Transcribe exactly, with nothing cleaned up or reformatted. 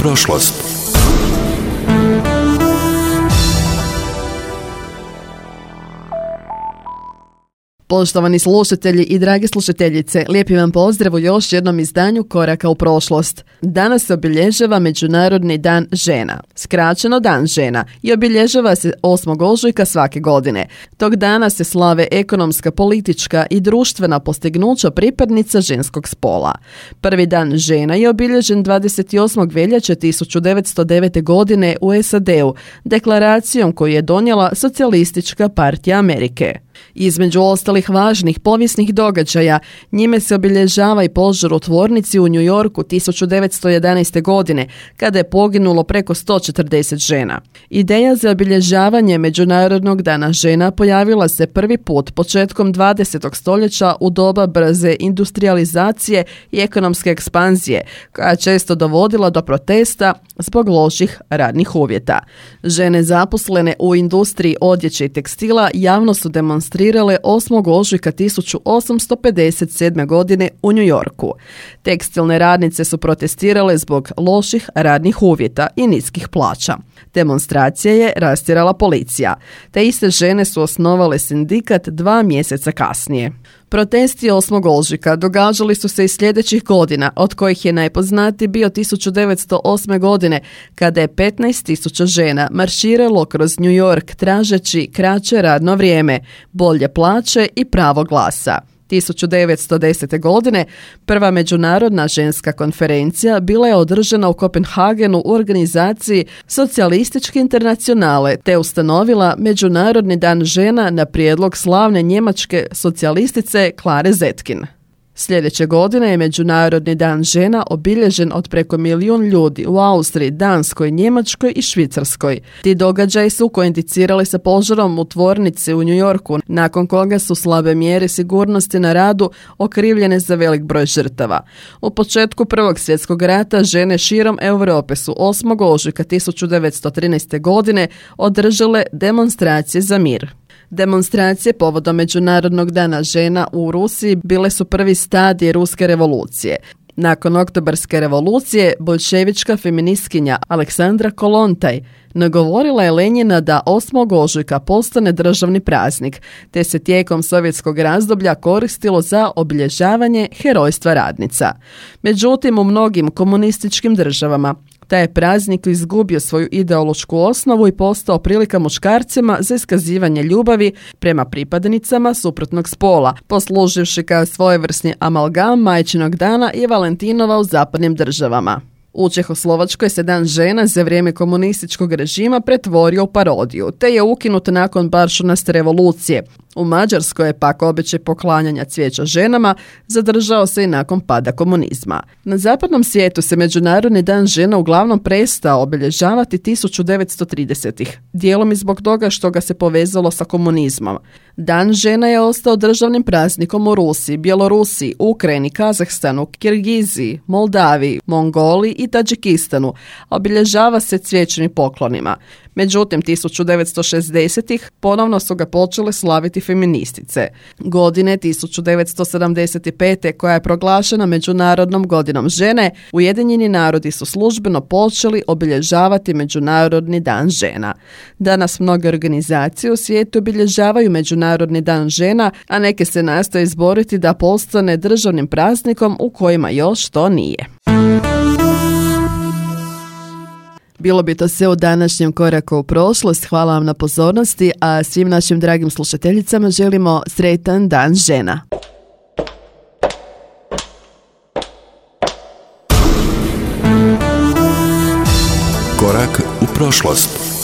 prošlost. Poštovani slušatelji i drage slušateljice, lijepi vam pozdrav u još jednom izdanju Koraka u prošlost. Danas se obilježava Međunarodni dan žena, skraćeno Dan žena, i obilježava se osmog ožujka svake godine. Tog dana se slave ekonomska, politička i društvena postignuća pripadnica ženskog spola. Prvi dan žena je obilježen dvadeset osmog veljače tisuću devetsto devete. godine u S A D-u, deklaracijom koju je donijela Socijalistička partija Amerike. Između ostalih važnih povijesnih događaja, njime se obilježava i požar u tvornici u New Yorku tisuću devetsto jedanaeste. godine, kada je poginulo preko sto četrdeset žena. Ideja za obilježavanje Međunarodnog dana žena pojavila se prvi put početkom dvadesetog stoljeća u doba brze industrijalizacije i ekonomske ekspanzije, koja je često dovodila do protesta zbog loših radnih uvjeta. Žene zaposlene u industriji odjeće i tekstila javno su demonstrirale osmog ožujka tisuću osamsto pedeset sedme. godine u New Yorku. Tekstilne radnice su protestirale zbog loših radnih uvjeta i niskih plaća. Demonstracija je rastjerala policija. Te iste žene su osnovale sindikat dva mjeseca kasnije. Protesti osmog ožujka događali su se i sljedećih godina, od kojih je najpoznatiji bio tisuću devetsto osme. godine, kada je petnaest tisuća žena marširalo kroz New York tražeći kraće radno vrijeme, bolje plaće i pravo glasa. tisuću devetsto desete. godine prva međunarodna ženska konferencija bila je održana u Kopenhagenu u organizaciji Socijalističke internacionale te ustanovila Međunarodni dan žena na prijedlog slavne njemačke socijalistice Klare Zetkin. Sljedeće godine je Međunarodni dan žena obilježen od preko milijun ljudi u Austriji, Danskoj, Njemačkoj i Švicarskoj. Ti događaji su kointicirali sa požarom u tvornici u New Yorku, nakon koga su slabe mjere sigurnosti na radu okrivljene za velik broj žrtava. U početku Prvog svjetskog rata žene širom Europe su osmog ožujka tisuću devetsto trinaeste. godine održale demonstracije za mir. Demonstracije povodom Međunarodnog dana žena u Rusiji bile su prvi stadij ruske revolucije. Nakon Oktobarske revolucije, boljševička feministkinja Aleksandra Kolontaj nagovorila je Lenjina da osmog ožujka postane državni praznik, te se tijekom sovjetskog razdoblja koristilo za obilježavanje herojstva radnica. Međutim, u mnogim komunističkim državama taj je praznik izgubio svoju ideološku osnovu i postao prilika muškarcima za iskazivanje ljubavi prema pripadnicama suprotnog spola, posluživši kao svojevrsni amalgam Majčinog dana i Valentinova u zapadnim državama. U Čehoslovačkoj se Dan žena za vrijeme komunističkog režima pretvorio u parodiju, te je ukinut nakon baršunaste revolucije. U Mađarskoj je pak običaj poklanjanja cvijeća ženama zadržao se i nakon pada komunizma. Na zapadnom svijetu se Međunarodni dan žena uglavnom prestao obilježavati tisuću devetsto tridesetih. Dijelom i zbog toga što ga se povezalo sa komunizmom. Dan žena je ostao državnim praznikom u Rusiji, Bjelorusiji, Ukrajini, Kazahstanu, Kirgiziji, Moldaviji, Mongoliji i Tadžikistanu, a obilježava se cvijećnim poklonima. Međutim, tisuću devetsto šezdesetih ponovno su ga počele slaviti feministice. Godine tisuću devetsto sedamdeset pete. koja je proglašena Međunarodnom godinom žene, Ujedinjeni narodi su službeno počeli obilježavati Međunarodni dan žena. Danas mnoge organizacije u svijetu obilježavaju Međunarodni dan žena, a neke se nastoje izboriti da postane državnim praznikom u kojima još to nije. Bilo bi to sve u današnjem Koraku u prošlost. Hvala vam na pozornosti, a svim našim dragim slušateljicama želimo sretan dan žena. Korak u prošlost.